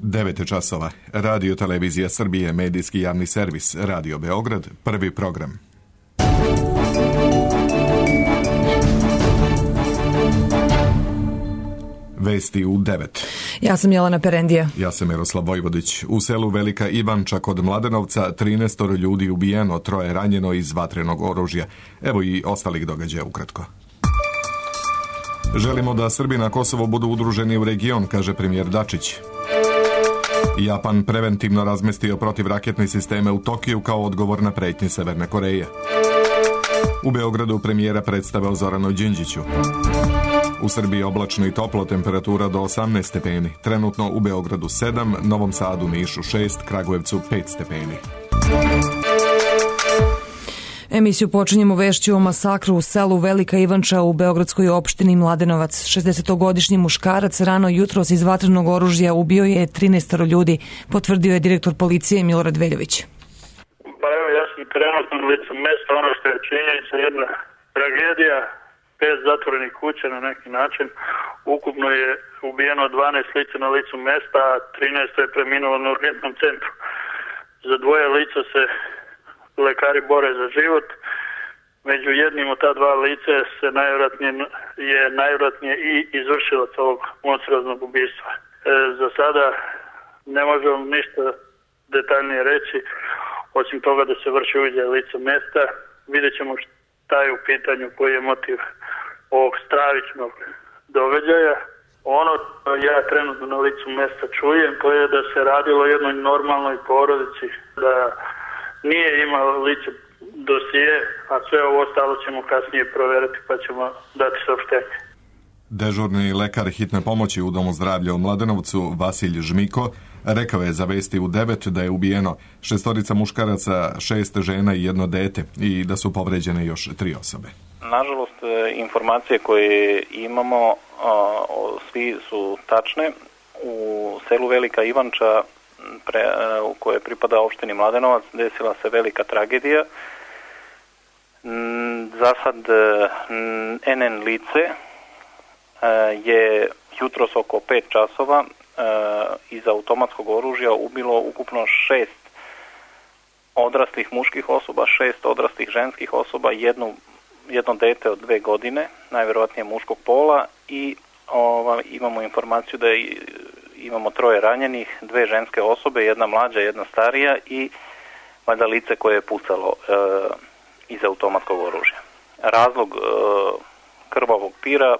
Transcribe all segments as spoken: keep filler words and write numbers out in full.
devet časova. Radio Televizija Srbije, medijski javni servis, Radio Beograd, prvi program. Vesti u devet. Ja sam Jelena Perendija. Ja sam Miroslav Vojvodić. U selu Velika Ivanča kod Mladenovca trinaest ljudi ubijeno, troje ranjeno iz vatrenog oružja. Evo i ostalih događaja ukratko. Želimo da Srbi na Kosovo budu udruženi u region, kaže premijer Dačić. Japan preventivno razmestio protivraketne sisteme u Tokiju kao odgovor na pretnje Severne Koreje. U Beogradu premijera predstavao Zoranu Đinđiću. U Srbiji oblačno i toplo, temperatura do osamnaest stepeni. Trenutno u Beogradu sedam, Novom Sadu, Nišu šest, Kragujevcu pet stepeni. Emisiju počinjemo vešću o masakru u selu Velika Ivanča u beogradskoj opštini Mladenovac. šezdesetogodišnji muškarac rano jutros iz vatrenog oružja ubio je trinaest ljudi, potvrdio je direktor policije Milorad Veljović. Pa evo, ja sam trenutno na licu mesta, ono što je činjenica, jedna tragedija, pet zatvorenih kuća na neki način. Ukupno je ubijeno dvanaest lica na licu mesta, a trinaest je preminulo na urgentnom centru. Za dvoje lica se lekari bore za život. Među jednim od ta dva lice se najvjerojatnije je najvjerojatnije i izvršilac ovog monstruoznog ubistva. E, za sada ne možemo ništa detaljnije reći, osim toga da se vrši uviđaj lica mesta. Vidjet ćemo šta je u pitanju, koji je motiv ovog stravičnog događaja. Ono što ja trenutno na licu mesta čujem, to je da se radilo o jednoj normalnoj porodici, da nije imao lice dosije, a sve ovo ostalo ćemo kasnije proveriti pa ćemo dati saopštenje. Dežurni lekar hitne pomoći u Domu zdravlja u Mladenovcu, Vasilj Žmiko, rekao je za Vesti u devet da je ubijeno šestorica muškaraca, šest žena i jedno dete i da su povređene još tri osobe. Nažalost, informacije koje imamo, svi su tačne. U selu Velika Ivanča, pre, u kojoj pripada opštini Mladenovac, desila se velika tragedija. Za sad en en lice je jutros oko pet časova iz automatskog oružja ubilo ukupno šest odraslih muških osoba, šest odraslih ženskih osoba, jednu, jedno dete od dve godine, najvjerojatnije muškog pola, i ova, imamo informaciju da je, imamo troje ranjenih, dve ženske osobe, jedna mlađa, jedna starija i valjda lice koje je pucalo e, iz automatskog oružja. Razlog e, krvavog pira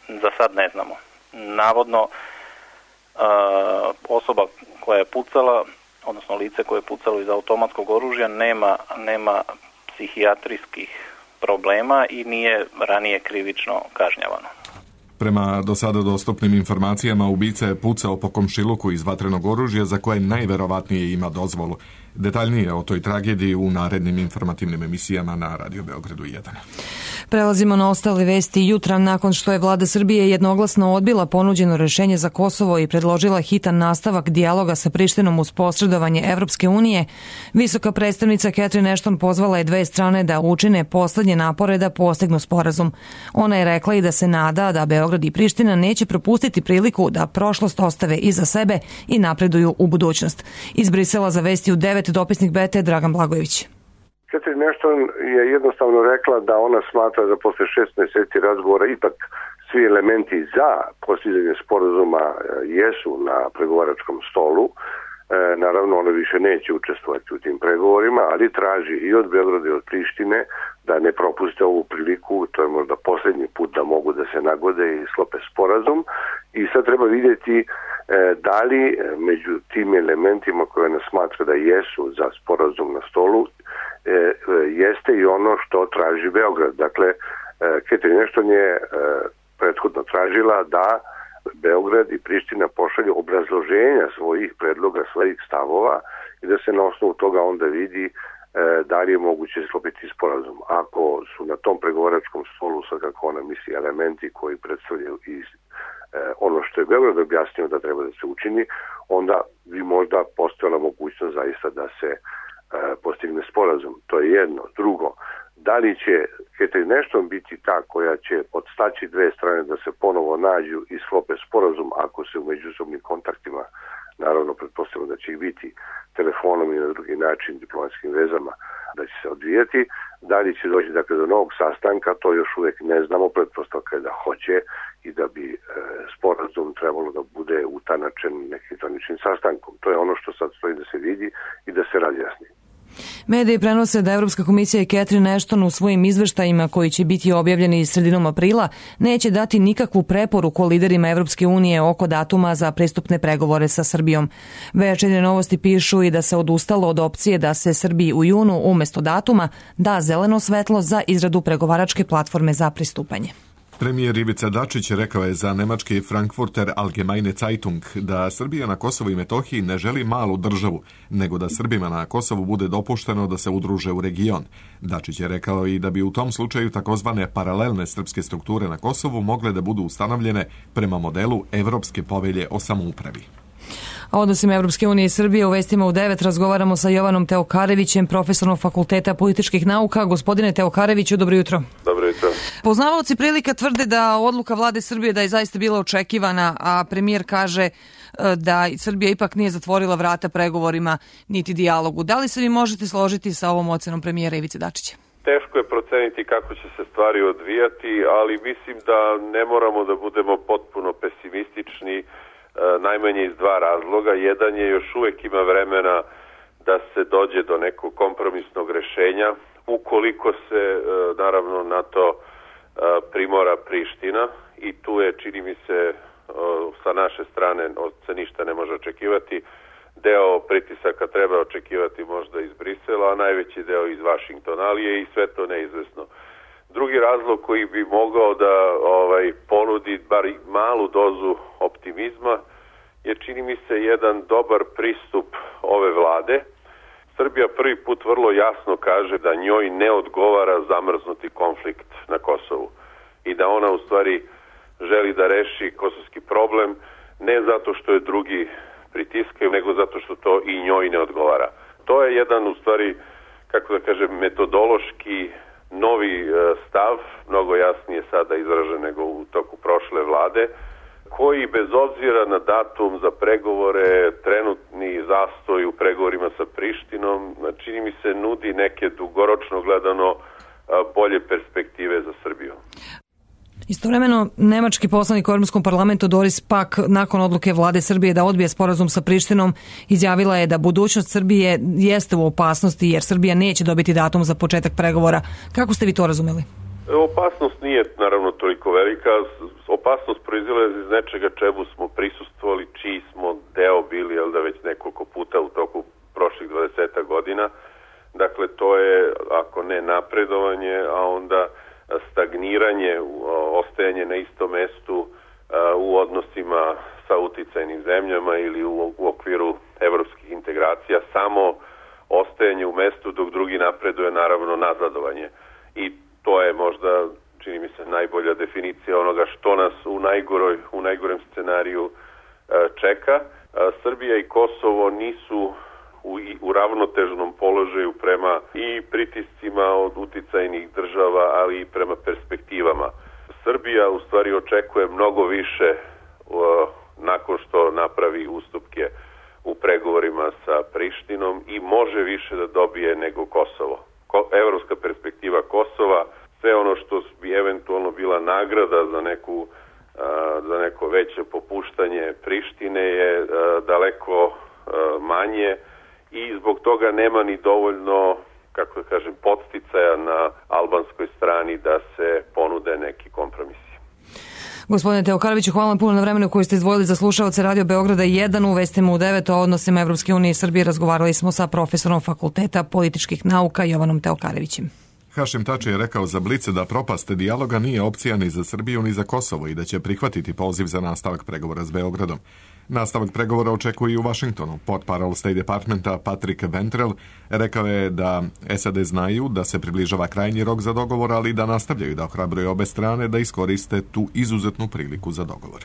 za sad ne znamo. Navodno e, osoba koja je pucala, odnosno lice koje je pucalo iz automatskog oružja nema, nema psihijatrijskih problema i nije ranije krivično kažnjavano. Prema do sada dostupnim informacijama, ubica je pucao po komšiluku iz vatrenog oružja za koje najverovatnije ima dozvolu. Detaljnije o toj tragediji u narednim informativnim emisijama na Radio Beogradu jedan. Prelazimo na ostale vesti. Jutra, nakon što je vlada Srbije jednoglasno odbila ponuđeno rešenje za Kosovo i predložila hitan nastavak dijaloga sa Prištinom uz posredovanje Evropske unije, visoka predstavnica Catherine Ashton pozvala je dve strane da učine poslednje napore da postignu sporazum. Ona je rekla i da se nada da Beograd i Priština neće propustiti priliku da prošlost ostave iza sebe i napreduju u budućnost. Iz Brisela za Vesti u devet dopisnik B T Dragan Blagojević. Catherine Ashton je jednostavno rekla da ona smatra da posle šest meseci razgovora ipak svi elementi za postizanje sporazuma jesu na pregovaračkom stolu. E, naravno, ona više neće učestvovati u tim pregovorima, ali traži i od Beograda i od Prištine da ne propuste ovu priliku, to je možda poslednji put da mogu da se nagode i sklope sporazum. I sad treba vidjeti e, da li među tim elementima koje ona smatra da jesu za sporazum na stolu E, jeste i ono što traži Beograd. Dakle, e, Catherine Ashton je e, prethodno tražila da Beograd i Priština pošalju obrazloženja svojih predloga, svojih stavova i da se na osnovu toga onda vidi e, da li je moguće sklopiti sporazum. Ako su na tom pregovaračkom stolu, sad kako ona misli, elementi koji predstavljaju i e, ono što je Beograd objasnio da treba da se učini, onda bi možda postojala mogućnost zaista da se postigne sporazum. To je jedno. Drugo, da li će Catherine Ashton biti ta koja će podstaći dve strane da se ponovo nađu i sklope sporazum ako se u međusobnim kontaktima naravno pretpostavljamo da će ih biti telefonom i na drugi način diplomatskim vezama da će se odvijeti. Da li će doći dakle, do novog sastanka, to još uvijek ne znamo, pretpostavka je da hoće i da bi e, sporazum trebalo da bude utanačen nekim zvaničnim sastankom. To je ono što sad stoji da se vidi i da se razjasni. Mediji prenose da Evropska komisija i Catherine Ashton u svojim izveštajima koji će biti objavljeni sredinom aprila neće dati nikakvu preporuku liderima Evropske unije oko datuma za pristupne pregovore sa Srbijom. Večernje novosti pišu i da se odustalo od opcije da se Srbiji u junu umjesto datuma da zeleno svetlo za izradu pregovaračke platforme za pristupanje. Premijer Ivica Dačić rekao je za nemački Frankfurter Allgemeine Zeitung da Srbija na Kosovu i Metohiji ne želi malu državu, nego da Srbima na Kosovu bude dopušteno da se udruže u region. Dačić je rekao i da bi u tom slučaju takozvane paralelne srpske strukture na Kosovu mogle da budu ustanovljene prema modelu Evropske povelje o samoupravi. A odnosima Evropske unije i Srbije u Vestima u devet razgovaramo sa Jovanom Teokarevićem, profesorom Fakulteta političkih nauka. Gospodine Teokareviću, dobro jutro. Dobro jutro. Poznavaoci prilika tvrde da odluka vlade Srbije da je zaista bila očekivana, a premijer kaže da Srbija ipak nije zatvorila vrata pregovorima niti dijalogu. Da li se vi možete složiti sa ovom ocenom premijera Ivice Dačića? Teško je proceniti kako će se stvari odvijati, ali mislim da ne moramo da budemo potpuno pesimistični, najmanje iz dva razloga. Jedan je još uvijek ima vremena da se dođe do nekog kompromisnog rešenja, ukoliko se naravno na to primora Priština, i tu je, čini mi se, sa naše strane se ništa ne može očekivati. Deo pritisaka treba očekivati možda iz Brisela, a najveći deo iz Vašingtona, ali je i sve to neizvesno. Drugi razlog koji bi mogao da ovaj, ponudi bar malu dozu optimizma je, čini mi se, jedan dobar pristup ove vlade. Srbija prvi put vrlo jasno kaže da njoj ne odgovara zamrznuti konflikt na Kosovu i da ona u stvari želi da reši kosovski problem ne zato što je drugi pritiskaju, nego zato što to i njoj ne odgovara. To je jedan u stvari, kako da kažem, metodološki novi stav, mnogo jasnije sada izražen nego u toku prošle vlade, koji bez obzira na datum za pregovore, trenutni zastoj u pregovorima sa Prištinom, čini mi se nudi neke dugoročno gledano bolje perspektive za Srbiju. Istovremeno, nemački poslanik u Europskom parlamentu Doris Pack nakon odluke vlade Srbije da odbije sporazum sa Prištinom izjavila je da budućnost Srbije jeste u opasnosti jer Srbija neće dobiti datum za početak pregovora. Kako ste vi to razumeli? Opasnost nije naravno toliko velika. Opasnost proizilazi iz nečega čemu smo prisustvovali, čiji smo deo bili, jel da, već nekoliko puta u toku prošlih dvadeset godina. Dakle, to je, ako ne napredovanje, a onda stagniranje, ostajanje na istom mestu u odnosima sa uticajnim zemljama ili u, u okviru evropskih integracija. Samo ostajanje u mestu dok drugi napreduje, naravno nazadovanje. I to je možda, čini mi se, najbolja definicija onoga što nas u najgoroj, u najgorem scenariju čeka. Srbija i Kosovo nisu u, u ravnotežnom položaju prema i pritiscima od uticajnih država, ali i prema perspektivama. Srbija u stvari očekuje mnogo više uh, nakon što napravi ustupke u pregovorima sa Prištinom i može više da dobije nego Kosovo. Ko, evropska perspektiva Kosova, sve ono što bi eventualno bila nagrada za neku uh, za neko veće popuštanje Prištine je uh, daleko uh, manje i zbog toga nema ni dovoljno, kako da kažem, podsticaja na albanskoj strani da se ponude neki kompromisi. Gospodine Teokareviću, hvala vam puno na vremenu koju ste izdvojili za slušaoce Radio Beograda jedan. U Vestima u devet o odnosima Evropske unije i Srbije razgovarali smo sa profesorom Fakulteta političkih nauka Jovanom Teokarevićem. Hašim Tači je rekao za Blice da propast dijaloga nije opcija ni za Srbiju ni za Kosovo i da će prihvatiti poziv za nastavak pregovora s Beogradom. Nastavak pregovora očekuje i u Vašingtonu. Portparol State Departmenta Patrick Ventrell rekao je da S A D znaju da se približava krajnji rok za dogovor, ali da nastavljaju da ohrabruju obe strane da iskoriste tu izuzetnu priliku za dogovor.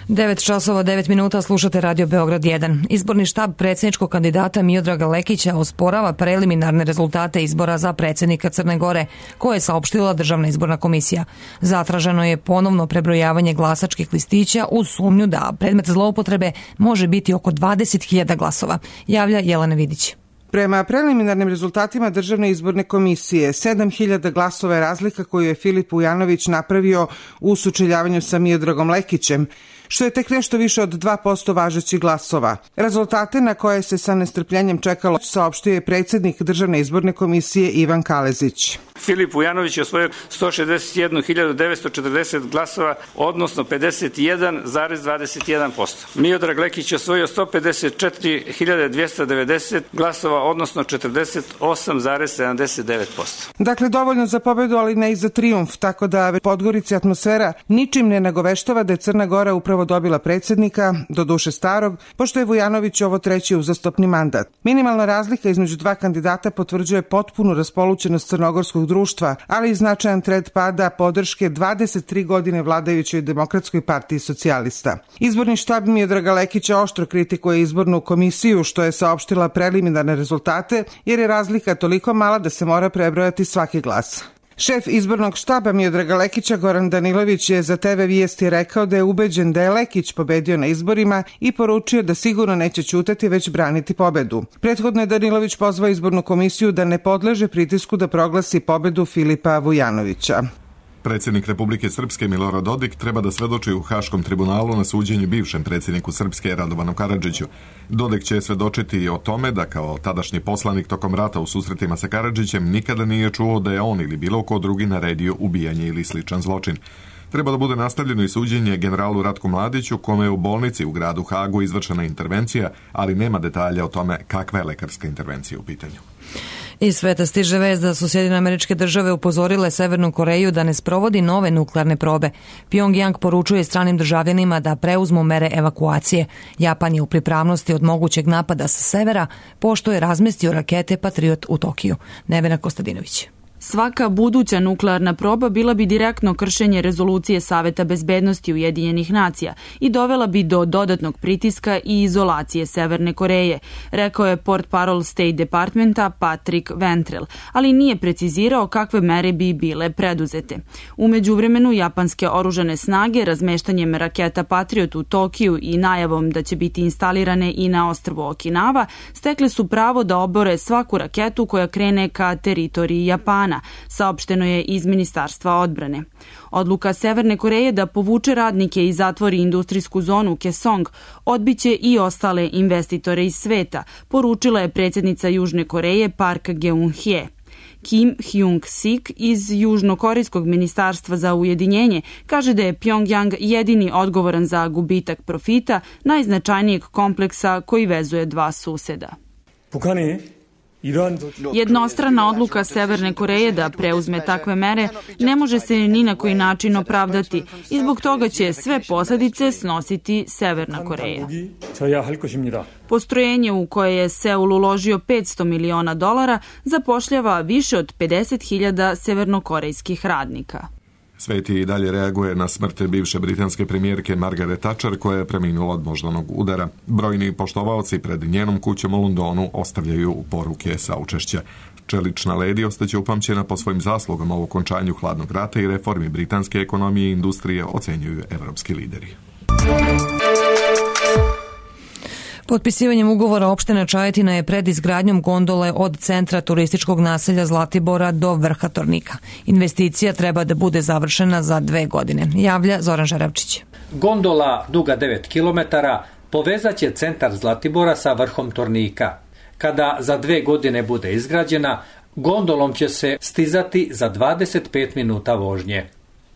devet časova devet minuta, slušate Radio Beograd jedan. Izborni štab predsjedničkog kandidata Miodraga Lekića osporava preliminarne rezultate izbora za predsjednika Crne Gore, koje je saopštila Državna izborna komisija. Zatraženo je ponovno prebrojavanje glasačkih listića uz sumnju da predmet zloupotrebe može biti oko dvadeset hiljada glasova, javlja Jelena Vidić. Prema preliminarnim rezultatima Državne izborne komisije, sedam hiljada glasova je razlika koju je Filip Vujanović napravio u sučeljavanju sa Miodragom Lekićem, što je tek nešto više od dva posto važećih glasova. Rezultate na koje se sa nestrpljenjem čekalo saopštio je predsjednik Državne izborne komisije Ivan Kalezić. Filip Vujanović je osvojio sto šezdeset jednu hiljadu devetsto četrdeset glasova, odnosno pedeset jedan zarez dvadeset jedan posto. Miodrag Lekić je osvojio sto pedeset četiri hiljade dvjesto devedeset glasova, odnosno četrdeset osam zarez sedamdeset devet posto. Dakle, dovoljno za pobedu, ali ne i za trijumf, tako da Podgorici atmosfera ničim ne nagoveštava da je Crna Gora upravo dobila predsjednika, do duše starog, pošto je Vujanović ovo treći uzastopni mandat. Minimalna razlika između dva kandidata potvrđuje potpunu raspolućenost crnogorskog društva, ali i značajan trend pada podrške dvadeset tri godine vladajućoj Demokratskoj partiji socijalista. Izborni štab Miodraga Lekića oštro kritikuje izbornu komisiju, što je saopštila preliminarne rezultate, jer je razlika toliko mala da se mora prebrojati svaki glas. Šef izbornog štaba Miodraga Lekića Goran Danilović je za te ve Vijesti rekao da je ubeđen da je Lekić pobedio na izborima i poručio da sigurno neće ćutati već braniti pobedu. Prethodno je Danilović pozvao izbornu komisiju da ne podleže pritisku da proglasi pobedu Filipa Vujanovića. Predsjednik Republike Srpske Milorad Dodik treba da svedoči u Haškom tribunalu na suđenju bivšem predsjedniku Srpske Radovanu Karadžiću. Dodik će svedočiti i o tome da kao tadašnji poslanik tokom rata u susretima sa Karadžićem nikada nije čuo da je on ili bilo ko drugi naredio ubijanje ili sličan zločin. Treba da bude nastavljeno i suđenje generalu Ratku Mladiću, kome je u bolnici u gradu Hagu izvršena intervencija, ali nema detalja o tome kakva je lekarska intervencija u pitanju. Iz sveta stiže vest da su Sjedinjene Američke Države upozorile Severnu Koreju da ne sprovodi nove nuklearne probe. Pyongyang poručuje stranim državljanima da preuzmu mere evakuacije. Japan je u pripravnosti od mogućeg napada sa severa, pošto je razmestio rakete Patriot u Tokiju. Nevena Kostadinović. Svaka buduća nuklearna proba bila bi direktno kršenje rezolucije Saveta bezbednosti Ujedinjenih nacija i dovela bi do dodatnog pritiska i izolacije Severne Koreje, rekao je portparol State Departmenta Patrick Ventrell, ali nije precizirao kakve mere bi bile preduzete. U međuvremenu, japanske oružane snage razmeštanjem raketa Patriot u Tokiju i najavom da će biti instalirane i na ostrvu Okinawa stekle su pravo da obore svaku raketu koja krene ka teritoriji Japana, saopšteno je iz Ministarstva odbrane. Odluka Severne Koreje da povuče radnike i zatvori industrijsku zonu Kaesong odbiće i ostale investitore iz sveta, poručila je predsjednica Južne Koreje Park Geun-hye. Kim Hyung-sik iz Južnokorejskog ministarstva za ujedinjenje kaže da je Pyongyang jedini odgovoran za gubitak profita najznačajnijeg kompleksa koji vezuje dva suseda. 북한이 Jednostrana odluka Severne Koreje da preuzme takve mere ne može se ni na koji način opravdati i zbog toga će sve posljedice snositi Severna Koreja. Postrojenje u koje je Seul uložio petsto miliona dolara zapošljava više od pedeset hiljada severnokorejskih radnika. Svet i dalje reaguje na smrt bivše britanske premijerke Margaret Thatcher, koja je preminula od moždanog udara. Brojni poštovaoci pred njenom kućom u Londonu ostavljaju poruke saučešća. Čelična ledi ostaće upamćena po svojim zaslugama u okončanju hladnog rata i reformi britanske ekonomije i industrije, ocenjuju evropski lideri. Potpisivanjem ugovora opština Čajetina je pred izgradnjom gondole od centra turističkog naselja Zlatibora do vrha Tornika. Investicija treba da bude završena za dve godine, javlja Zoran Žaravčić. Gondola duga devet kilometara povezaće centar Zlatibora sa vrhom Tornika. Kada za dve godine bude izgrađena, gondolom će se stizati za dvadeset pet minuta vožnje.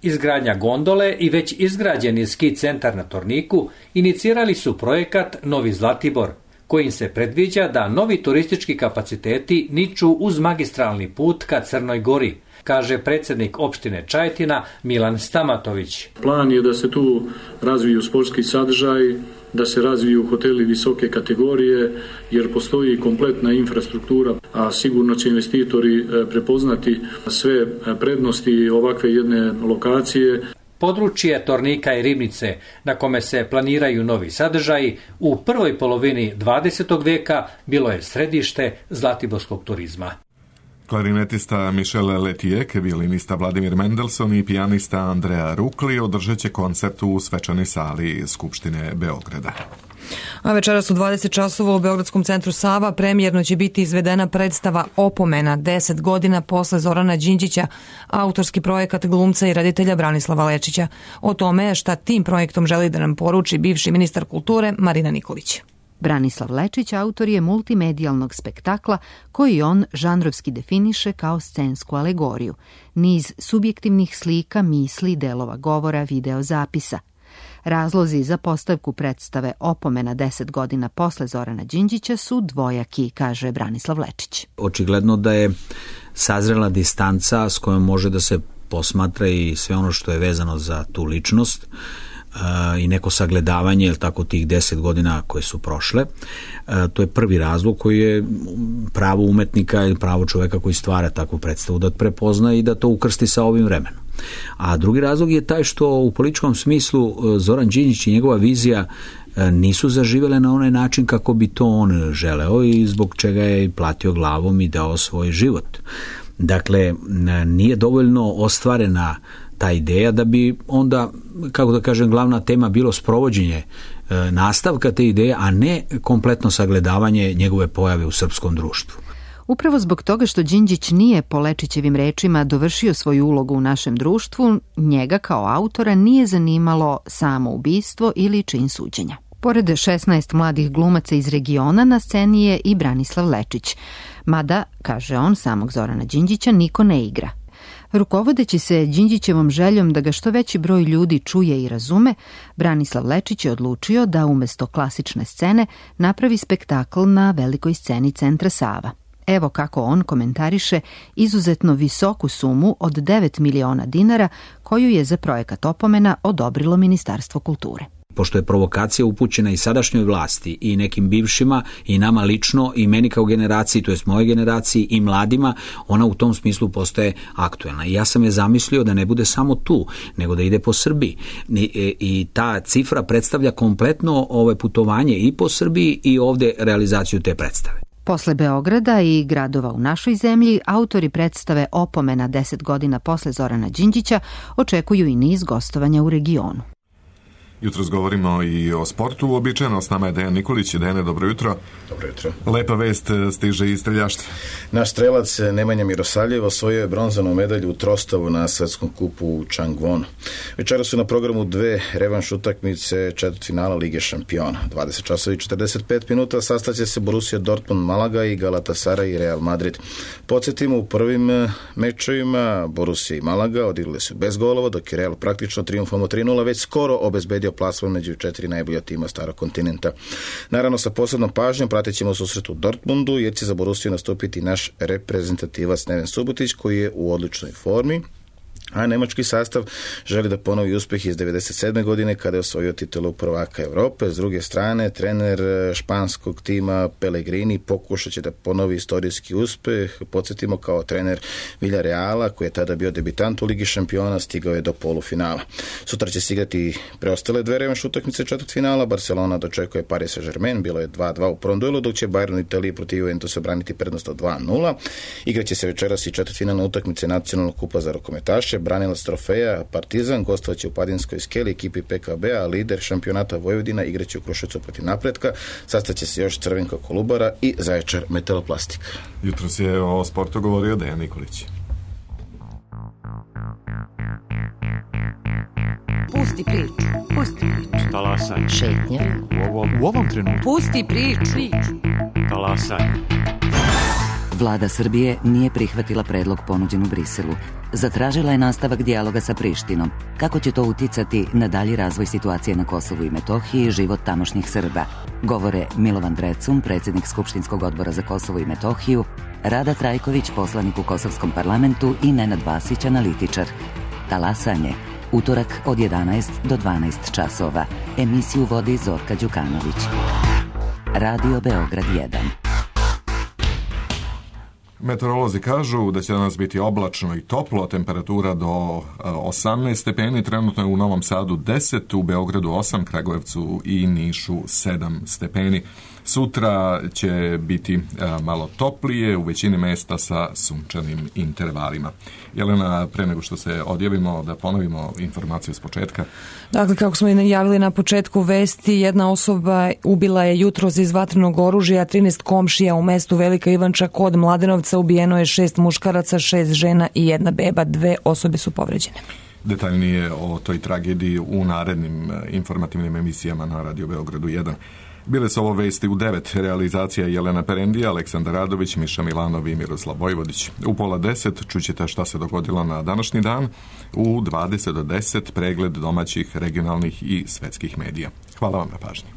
Izgradnja gondole i već izgrađeni ski centar na Torniku inicirali su projekat Novi Zlatibor, kojim se predviđa da novi turistički kapaciteti niču uz magistralni put ka Crnoj Gori, kaže predsjednik opštine Čajetina Milan Stamatović. Plan je da se tu razviju sportski sadržaj, da se razviju hoteli visoke kategorije, jer postoji kompletna infrastruktura, a sigurno će investitori prepoznati sve prednosti ovakve jedne lokacije. Područje Tornika i Ribnice, na kome se planiraju novi sadržaji, u prvoj polovini dvadesetog veka bilo je središte zlatiborskog turizma. Klarinetista Michel Letijek, violinista Vladimir Mendelson i pijanista Andrea Rukli održat će koncert u svečanoj sali Skupštine Beograda. A večeras u dvadeset časova u Beogradskom centru Sava premijerno će biti izvedena predstava Opomena, deset godina posle Zorana Đinđića, autorski projekat glumca i reditelja Branislava Lečića. O tome šta tim projektom želi da nam poruči bivši ministar kulture Marina Nikolić. Branislav Lečić autor je multimedijalnog spektakla koji on žanrovski definiše kao scensku alegoriju, niz subjektivnih slika, misli, delova govora, videozapisa. Razlozi za postavku predstave Opomena deset godina posle Zorana Đinđića su dvojaki, kaže Branislav Lečić. Očigledno da je sazrela distanca s kojom može da se posmatra i sve ono što je vezano za tu ličnost i neko sagledavanje, jel tako, tih deset godina koje su prošle. To je prvi razlog koji je pravo umetnika ili pravo čoveka koji stvara takvu predstavu da prepozna i da to ukrsti sa ovim vremenom. A drugi razlog je taj što u političkom smislu Zoran Đinđić i njegova vizija nisu zaživele na onaj način kako bi to on želeo i zbog čega je platio glavom i dao svoj život. Dakle, nije dovoljno ostvarena ta ideja da bi onda, kako da kažem, glavna tema bilo sprovođenje e, nastavka te ideje, a ne kompletno sagledavanje njegove pojave u srpskom društvu. Upravo zbog toga što Đinđić nije, po Lečićevim rečima, dovršio svoju ulogu u našem društvu, njega kao autora nije zanimalo samo ubistvo ili čin suđenja. Pored šesnaest mladih glumaca iz regiona, na sceni je i Branislav Lečić. Mada, kaže on, samog Zorana Đinđića niko ne igra. Rukovodeći se Đinđićevom željom da ga što veći broj ljudi čuje i razume, Branislav Lečić je odlučio da umesto klasične scene napravi spektakl na velikoj sceni centra Sava. Evo kako on komentariše izuzetno visoku sumu od devet miliona dinara koju je za projekat Opomena odobrilo Ministarstvo kulture. Pošto je provokacija upućena i sadašnjoj vlasti i nekim bivšima i nama lično i meni kao generaciji, to jest moje generaciji i mladima, ona u tom smislu postaje aktuelna. I ja sam je zamislio da ne bude samo tu, nego da ide po Srbiji. I, i ta cifra predstavlja kompletno ove putovanje i po Srbiji i ovde realizaciju te predstave. Posle Beograda i gradova u našoj zemlji, autori predstave Opomena deset godina posle Zorana Đinđića očekuju i niz gostovanja u regionu. Jutros govorimo i o sportu, uobičajeno s nama je Dejan Nikolić. Dejane, dobro jutro. Dobro jutro. Lepa vest stiže iz streljaštva. Naš strelac Nemanja Mirosavljev osvojio je bronzanu medalju u trostavu na svetskom kupu u Changwonu. Večera su na programu dve revanš utakmice četvrtfinala Lige šampiona. dvadeset časova i četrdeset pet minuta sastaće se Borussia Dortmund Malaga i Galatasaray i Real Madrid. Podsjetimo, u prvim mečevima Borussia i Malaga odigrali su bez golova, dok je Real praktično triumfom tri nula već skoro obezbedio plasman među četiri najbolja tima starog kontinenta. Naravno, sa posebnom pažnjom pratit ćemo susret u Dortmundu, jer će za Borussiju nastupiti naš reprezentativac Neven Subotić, koji je u odličnoj formi, a nemački sastav želi da ponovi uspeh iz devedeset sedme godine kada je osvojio titulu prvaka Evrope. S druge strane, trener španskog tima Pellegrini pokušat će da ponovi istorijski uspeh. Podsjetimo, kao trener Villareala, koji je tada bio debitant u Ligi šampiona, stigao je do polufinala. Sutra će se igrati preostale dve revanš utakmice četvrtfinala. Barcelona dočekuje Paris Saint-Germain, bilo je dva dva u prvom duelu, dok će Bayern u Italiji protiv Juventusa braniti prednost od dva nula. Igraće se večeras i četvrtfinalne utakmice nacionalnog kupa za rukometaše. Branilac trofeja Partizan gostovaće u Padinskoj Skeli ekipi P K B-a, lider šampionata Vojvodina igraće u Kruševcu protiv Napretka. Sastaće se još Crvenka Kolubara i Zaječar Metaloplastika. Jutros je o sportu govorio Dejan Nikolić. Pusti priču, pusti priču. Talasaj. Šetnja. U ovom, u ovom trenutku. Pusti priču. Talasaj. Vlada Srbije nije prihvatila predlog ponuđen u Briselu. Zatražila je nastavak dijaloga sa Prištinom. Kako će to uticati na dalji razvoj situacije na Kosovu i Metohiji i život tamošnjih Srba? Govore Milovan Drecun, predsjednik Skupštinskog odbora za Kosovo i Metohiju, Rada Trajković, poslanik u Kosovskom parlamentu i Nenad Vasić, analitičar. Talasanje. Utorak od jedanaest do dvanaest časova. Emisiju vodi Zorka Đukanović. Radio Beograd jedan. Meteorolozi kažu da će danas biti oblačno i toplo, temperatura do osamnaest stepeni, trenutno je u Novom Sadu deset, u Beogradu osam, Kragujevcu i Nišu sedam stepeni. Sutra će biti malo toplije, u većini mesta sa sunčanim intervalima. Jelena, pre nego što se odjavimo, da ponovimo informaciju s početka. Dakle, kako smo i najavili na početku vesti, jedna osoba ubila je jutros iz vatrenog oružja trinaest komšija u mestu Velika Ivanča kod Mladenovca. Ubijeno je šest muškaraca, šest žena i jedna beba. Dve osobe su povređene. Detaljnije o toj tragediji u narednim informativnim emisijama na Radio Beogradu jedan. Bile su ovo vesti u devet, realizacija Jelena Perendija, Aleksandar Radović, Miša Milanov i Miroslav Vojvodić. U pola deset čućete šta se dogodilo na današnji dan, u dvadeset do deset pregled domaćih, regionalnih i svetskih medija. Hvala vam na pažnji.